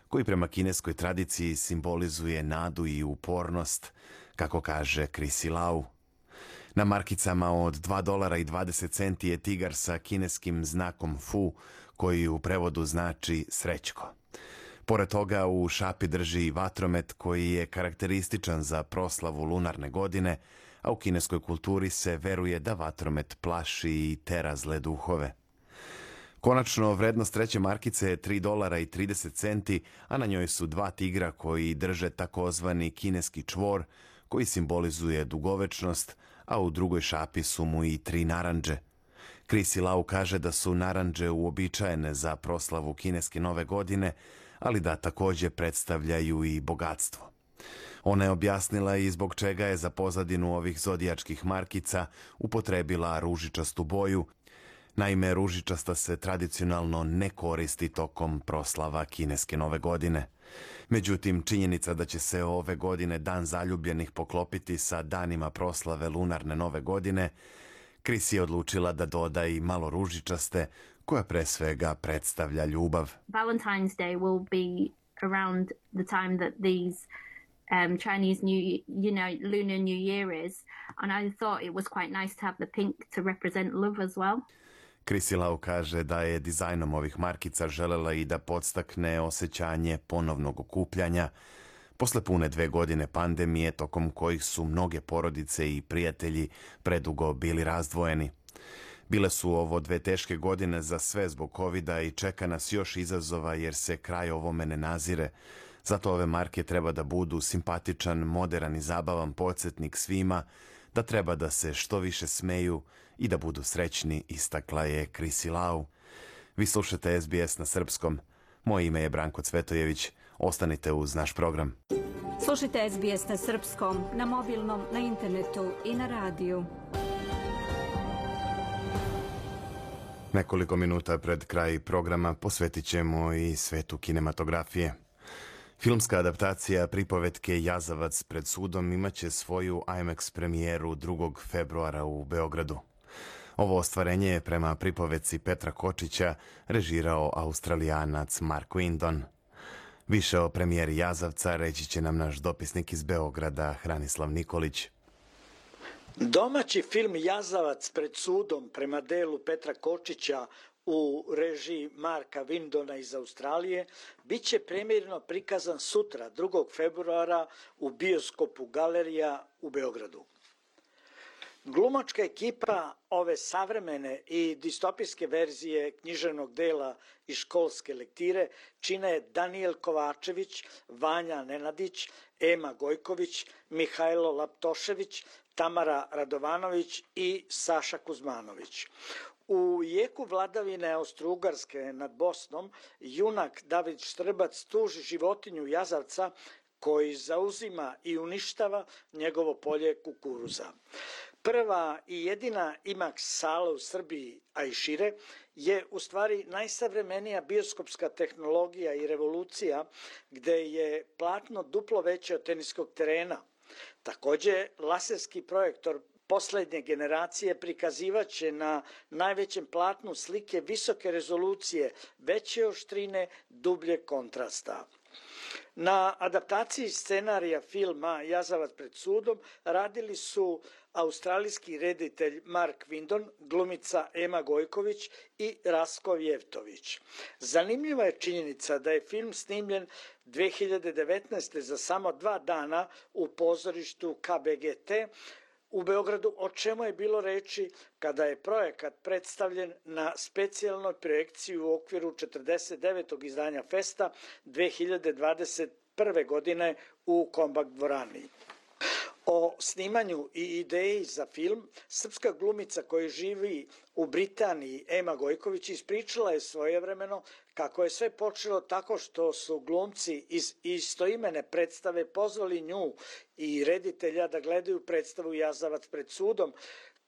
koji prema kineskoj tradiciji simbolizuje nadu i upornost, kako kaže Chrissy Lau. Na markicama od $2.20 je tigar sa kineskim znakom Fu, koji u prevodu znači srećko. Pored toga u šapi drži vatromet koji je karakterističan za proslavu lunarne godine, a u kineskoj kulturi se veruje da vatromet plaši i tera zle duhove. Konačno, vrednost treće markice je $3.30, a na njoj su 2 tigra koji drže takozvani kineski čvor, koji simbolizuje dugovečnost, a u drugoj šapi su mu i 3 narandže. Chrissy Lau kaže da su narandže uobičajene za proslavu kineske nove godine, ali da također predstavljaju i bogatstvo. Ona je objasnila i zbog čega je za pozadinu ovih zodijačkih markica upotrebila ružičastu boju. Naime, ružičasta se tradicionalno ne koristi tokom proslava kineske nove godine. Međutim, činjenica da će se ove godine Dan zaljubljenih poklopiti sa danima proslave lunarne nove godine, Chrissy je odlučila da doda i malo ružičaste, koja pre svega predstavlja ljubav. Valentine's Day will be around the time that these Chinese Lunar New Year is, and I thought it was quite nice to have the pink to represent love as well. Chrissy Lau kaže da je dizajnom ovih markica želela i da podstakne osjećanje ponovnog okupljanja posle pune 2 godine pandemije, tokom kojih su mnoge porodice i prijatelji predugo bili razdvojeni. Bile su ovo 2 teške godine za sve zbog covida i čeka nas još izazova jer se kraj ovome ne nazire. Zato ove marke treba da budu simpatičan, moderan i zabavan podsjetnik svima, da treba da se što više smeju i da budu srećni, istakla je Chrissy Lau. Vi slušate SBS na srpskom. Moje ime je Branko Cvetojević. Ostanite uz naš program. Slušajte SBS na srpskom, na mobilnom, na internetu i na radiju. Nekoliko minuta pred kraj programa posvetit ćemo i svetu kinematografije. Filmska adaptacija pripovetke Jazavac pred sudom imaće svoju IMAX premijeru 2. februara u Beogradu. Ovo ostvarenje je prema pripovetci Petra Kočića režirao Australijanac Mark Windon. Više o premijeri Jazavca reći će nam naš dopisnik iz Beograda Hranislav Nikolić. Domaći film Jazavac pred sudom prema delu Petra Kočića u režiji Marka Windona iz Australije biće premijerno prikazan sutra 2. februara u bioskopu Galerija u Beogradu. Glumačka ekipa ove savremene i distopijske verzije književnog dela i školske lektire čine Danijel Kovačević, Vanja Nenadić, Ema Gojković, Mihajlo Laptošević, Tamara Radovanović i Saša Kuzmanović. U jeku vladavine Austro-Ugarske nad Bosnom junak David Štrbac tuži životinju Jazavca koji zauzima i uništava njegovo polje kukuruza. Prva i jedina IMAX sala u Srbiji, a i šire, je u stvari najsavremenija bioskopska tehnologija i revolucija gde je platno duplo veće od teniskog terena. Također, laserski projektor poslednje generacije prikazivaće na najvećem platnu slike visoke rezolucije, veće oštrine, dublje kontrasta. Na adaptaciji scenarija filma Jazavac pred sudom radili su australijski reditelj Mark Windon, glumica Ema Gojković i Rasko Vjevtović. Zanimljiva je činjenica da je film snimljen 2019. za samo 2 dana u pozorištu KBGT u Beogradu, o čemu je bilo reči kada je projekat predstavljen na specijalnoj projekciji u okviru 49. izdanja Festa 2021. godine u Kombak dvorani. O snimanju i ideji za film srpska glumica koja živi u Britaniji Ema Gojković ispričala je svojevremeno kako je sve počelo tako što su glumci iz istoimene predstave pozvali nju i reditelja da gledaju predstavu Jazavac pred sudom,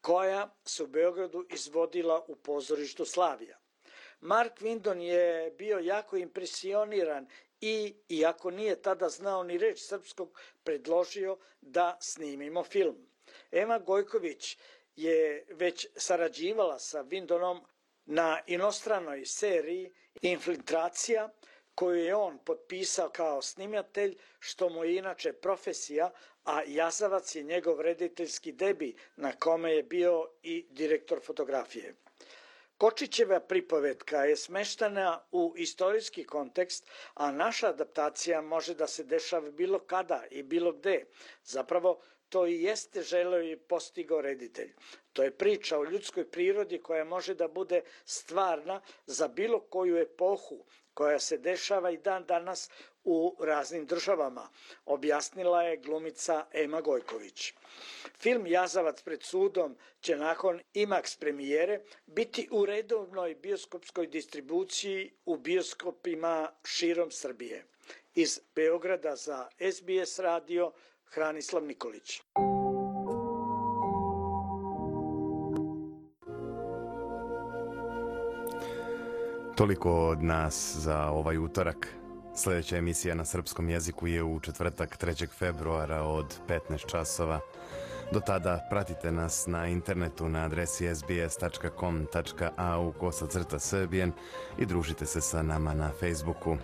koja se u Beogradu izvodila u pozorištu Slavija. Mark Windon je bio jako impresioniran i, iako nije tada znao ni reč srpskog, predložio da snimimo film. Ema Gojković je već sarađivala sa Windonom na inostranoj seriji Infiltracija, koju je on potpisao kao snimatelj, što mu je inače profesija, a Jazavac je njegov rediteljski debi na kome je bio i direktor fotografije. Kočićeva pripovetka je smeštena u istorijski kontekst, a naša adaptacija može da se dešava bilo kada i bilo gde. Zapravo, to i jeste želeo i postigao reditelj. To je priča o ljudskoj prirodi koja može da bude stvarna za bilo koju epohu, koja se dešava i dan danas u raznim državama, objasnila je glumica Ema Gojković. Film Jazavac pred sudom će nakon IMAX premijere biti u redovnoj bioskopskoj distribuciji u bioskopima širom Srbije. Iz Beograda za SBS radio Hranislav Nikolić. Toliko od nas za ovaj utorak. Sljedeća emisija na srpskom jeziku je u četvrtak 3. februara od 15 časova. Do tada pratite nas na internetu na adresi sbs.com.au/srbijen i družite se sa nama na Facebooku.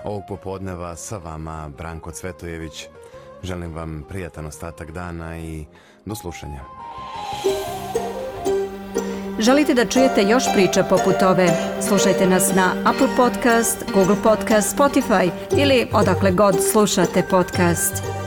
Ovog popodneva sa vama Branko Cvetojević. Želim vam prijatan ostatak dana i do slušanja. Želite da čujete još priča poput ove? Slušajte nas na Apple Podcast, Google Podcast, Spotify ili odakle god slušate podcast.